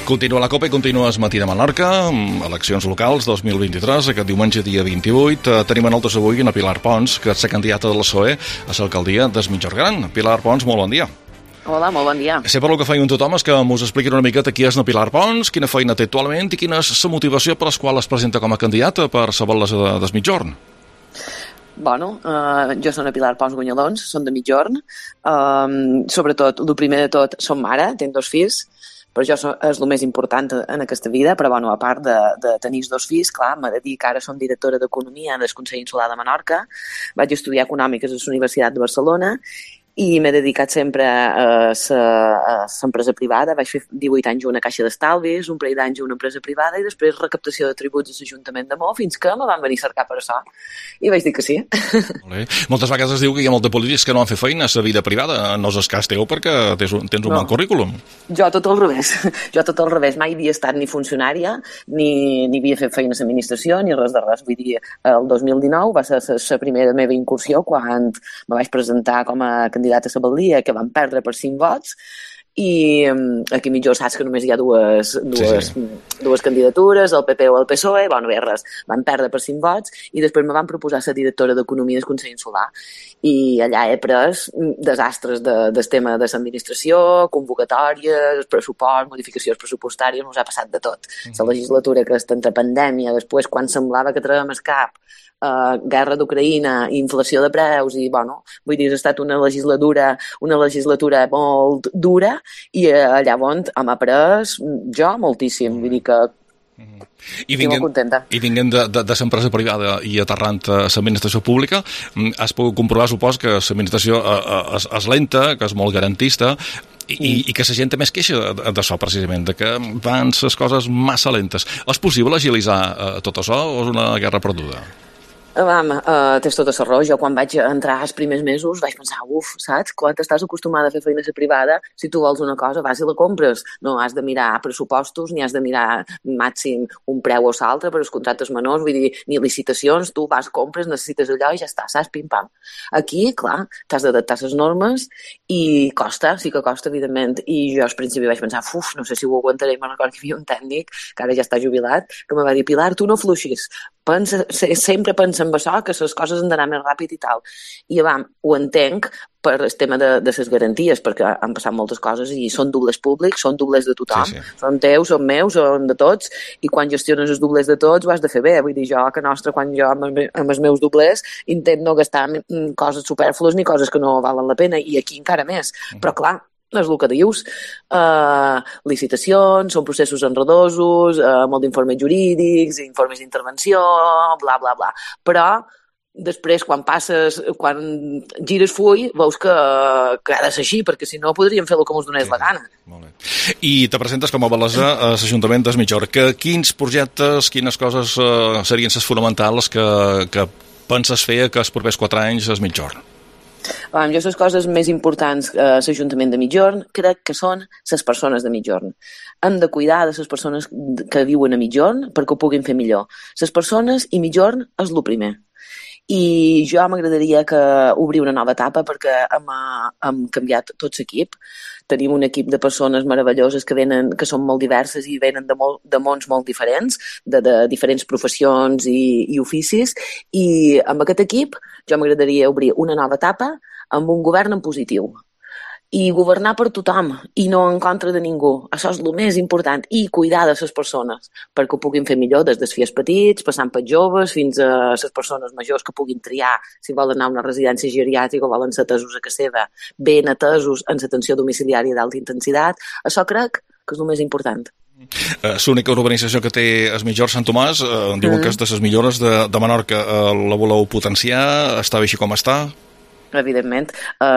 Continua la Copa i continues Matí de Menorca, eleccions locals 2023, aquest diumenge dia 28. Tenim a nosaltres avui a Pilar Pons, que és la candidata de la PSOE a l'alcaldia d'Es Migjorn Gran. Pilar Pons, molt bon dia. Hola, molt bon dia. Sempre el que feien tothom és que us expliquin una miqueta qui és la Pilar Pons, quina feina té actualment i quina és la motivació per la qual es presenta com a candidata per la batllessa d'Es Migjorn. Bueno, jo soc Pilar Pons Guanyalons, soc de Migjorn. Sobretot, el primer de tot, som mare, tinc 2 fills, però això és el més important en aquesta vida, però bueno, a part de tenir 2 fills, clar, m'he de dir que ara som directora d'Economia del Consell Insular de Menorca, vaig estudiar Econòmiques a la Universitat de Barcelona i m'he dedicat sempre a l'empresa privada. Vaig fer 18 anys a una caixa d'estalvis, un parell d'anys a una empresa privada i després recaptació de tributs a l'Ajuntament de Mó, fins que me van venir a cercar per això. I vaig dir que sí. Moltes vegades es diu que hi ha molts polítics que no han fet feina a la vida privada. No és el cas teu perquè tens un bon currículum. Jo tot al revés. Mai havia estat ni funcionària, ni havia fet feina a l'administració, ni res de res. Vull dir, el 2019 va ser la primera meva incursió quan me vaig presentar com a candidata a la batllia, que van perdre per 5 vots, i aquí millor saps que només hi ha dues candidatures, el PP o el PSOE, bueno, bé, res, van perdre per 5 vots, i després me van proposar ser directora d'Economia del Consell Insular, i allà he pres desastres del tema de l'administració, convocatòries, pressupost, modificacions pressupostàries, ens ha passat de tot. La legislatura que està entre pandèmia, després quan semblava que traiem el cap, guerra d'Ucraïna, inflació de preus i, bueno, vull dir, ha estat una legislatura molt dura i llavors hem après jo moltíssim, vull dir que estic molt contenta. I vinguent de l'empresa privada i aterrant a l'administració pública, has pogut comprovar, supos, que l'administració és lenta, que és molt garantista i que la gent també es queixa d'això, precisament, de que van les coses massa lentes. És possible agilitzar tot això o és una guerra perduda? Tens tota la raó. Jo quan vaig entrar els primers mesos vaig pensar, saps? Quan estàs acostumada a fer feina a la privada, si tu vols una cosa vas i la compres. No has de mirar pressupostos, ni has de mirar màxim un preu o l'altre per als contractes menors, vull dir, ni licitacions, tu vas, compres, necessites allò i ja està, saps? Pim-pam. Aquí, clar, t'has d'adaptar a les normes i costa, sí que costa, evidentment. I jo al principi vaig pensar, no sé si ho aguantaré. Me'n recordo que hi havia un tècnic, que ara ja està jubilat, que me va dir, Pilar, tu no fluixis. Sempre pensa en això, que les coses han d'anar més ràpid i tal. I ho entenc per el tema de les garanties, perquè han passat moltes coses i són doblers públics, són doblers de tothom, sí. Són teus, són meus, són de tots, i quan gestiones els doblers de tots ho has de fer bé. Vull dir, jo, a casa nostra, quan jo amb els meus doblers intent no gastar coses supèrflues ni coses que no valen la pena, i aquí encara més. Però clar, és el que dius, licitacions, són processos enredosos, molt d'informes jurídics, informes d'intervenció, bla, bla, bla. Però després, quan gires full, veus que ha de ser així, perquè si no podríem fer el que ens donés la gana. Molt bé. I te presentes com a batllessa a l'Ajuntament d'Es Migjorn. Quins projectes, quines coses serien les fonamentals que penses fer que els propers 4 anys a Es Migjorn? Jo les coses més importants a l'Ajuntament de Migjorn crec que són les persones de Migjorn. Hem de cuidar de les persones que viuen a Migjorn perquè ho puguin fer millor. Les persones i Migjorn és el primer. I jo m'agradaria obrir una nova etapa perquè hem canviat tot l'equip. Tenim un equip de persones meravelloses que són molt diverses i venen de mons molt diferents, de diferents professions i oficis, i amb aquest equip jo m'agradaria obrir una nova etapa amb un govern en positiu. I governar per tothom, i no en contra de ningú. Això és el més important. I cuidar de les persones, perquè ho puguin fer millor, des dels fills petits, passant per joves, fins a les persones majors que puguin triar si volen anar a una residència geriàtrica o volen ser atesos a casa seva, ben atesos en l'atenció domiciliària d'alta intensitat. Això crec que és el més important. L'única urbanització que té Es Migjorn Sant Tomàs, diuen que és de les millores de Menorca. La voleu potenciar? Està bé així com està? Evidentment,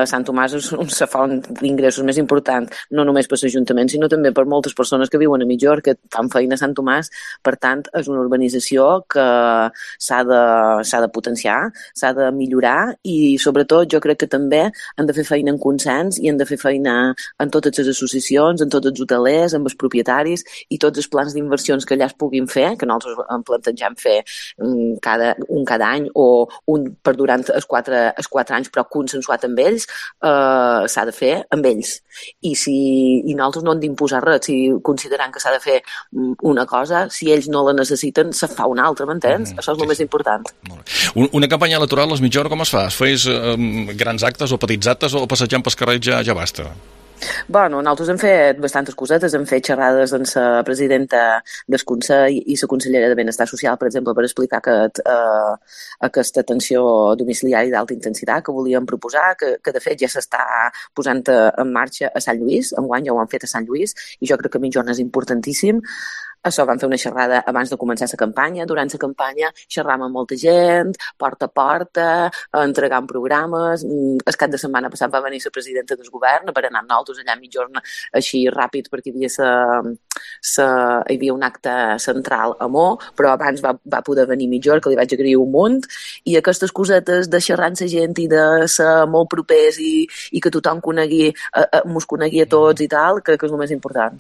Sant Tomàs és una font d'ingressos més important, no només per l'Ajuntament, sinó també per moltes persones que viuen a Migjorn, que fan feina a Sant Tomàs. Per tant, és una urbanització que s'ha de potenciar, s'ha de millorar, i sobretot jo crec que també han de fer feina en consens i han de fer feina en totes les associacions, en tots els hotelers, amb els propietaris, i tots els plans d'inversions que allà es puguin fer, que nosaltres plantegem fer cada any o un per durant els 4 anys, però consensuat amb ells, s'ha de fer amb ells. I nosaltres no hem d'imposar res. Si considerant que s'ha de fer una cosa, si ells no la necessiten, se fa una altra, m'entens? Això és el més important. Una campanya electoral, les mitja hora, com es fa? Es feis grans actes o petits actes o passejant pels carrers ja basta? Bueno, nosaltres hem fet bastantes cosetes, hem fet xerrades amb la presidenta del Consell i la consellera de Benestar Social, per exemple, per explicar aquesta atenció domiciliària d'alta intensitat que volíem proposar, que de fet ja s'està posant en marxa a Sant Lluís, enguany ja ho han fet a Sant Lluís, i jo crec que mitja hora és importantíssim. Això, vam fer una xerrada abans de començar la campanya. Durant la campanya xerram amb molta gent, porta a porta, entregant programes. El cap de setmana passat va venir la presidenta del govern per anar nosaltres allà mitjorna així ràpid perquè hi havia un acte central a Mo, però abans va poder venir mitjor, que li vaig agrair un munt. I aquestes cosetes de xerrar amb la gent i de ser molt propers i que tothom mos conegui a tots i tal, crec que és el més important.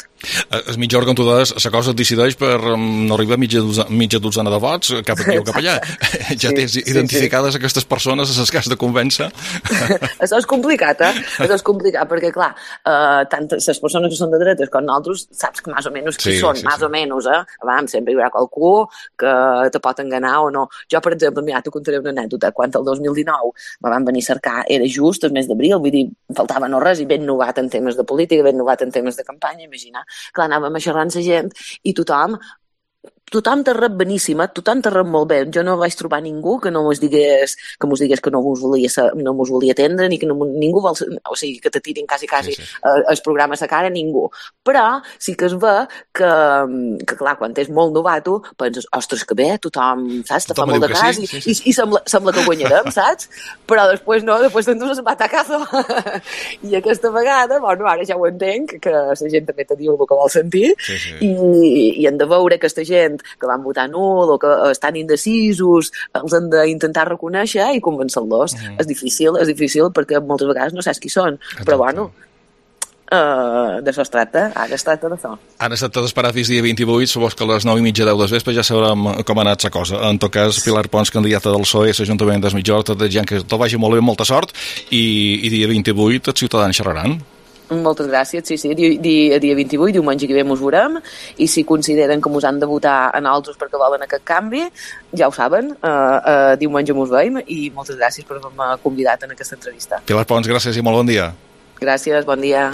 És mitja hora, com tu deies, la cosa et decideix per no arribar a mitja dotzena de vots, cap aquí o cap allà. Ja tens identificades aquestes persones a les que has de convèncer. Això és complicat, Això és complicat, perquè, clar, tant les persones que són de dretes com nosaltres, saps que més o menys qui són, més o menys, sempre hi haurà qualcú que te pot enganar o no. Jo, per exemple, mira, t'ho contaré una anècdota. Quan el 2019 me van venir a cercar, era just el mes d'abril, vull dir, faltava no res, i ben novat en temes de política, ben novat en temes de campanya, imagina. Clar, anàvem a xerrar amb la gent i tothom t'ha rep beníssima, tothom t'ha rep molt bé. Jo no vaig trobar ningú que no mos digués que no mos volia atendre, ni que ningú vol, o sigui, que te tirin quasi el programa a la cara, ningú. Però sí que es ve que clar, quan és molt novato, penses, ostres, que bé, tothom, saps, te fa molt de cas i sembla que guanyarem, saps? Però després no, després t'endús el batacazo. I aquesta vegada, bueno, ara ja ho entenc, que la gent també te diu el que vol sentir, i hem de veure aquesta gent que van votar nul o que estan indecisos, els han d'intentar reconèixer i convèncer-los. És difícil perquè moltes vegades no saps qui són. Exacte. Però bueno, d'això es tracta, ara es tracta d'això. Ara es tracta d'esperar fins dia 28, supos que a les 9:30, 10 del vespre ja sabrem com ha anat la cosa. En tot cas, Pilar Pons, candidata del PSOE a l'Ajuntament de Mitjorn, tot desitjant que tot vagi molt bé, molta sort, i dia 28 els ciutadans xerraran. Moltes gràcies, sí. Dia 28, diumenge que ve mos veurem, i si consideren que mos han de votar a nosaltres perquè volen aquest canvi, ja ho saben, diumenge mos veiem, i moltes gràcies per haver-me convidat en aquesta entrevista. Pilar Pons, gràcies i molt bon dia. Gràcies, bon dia.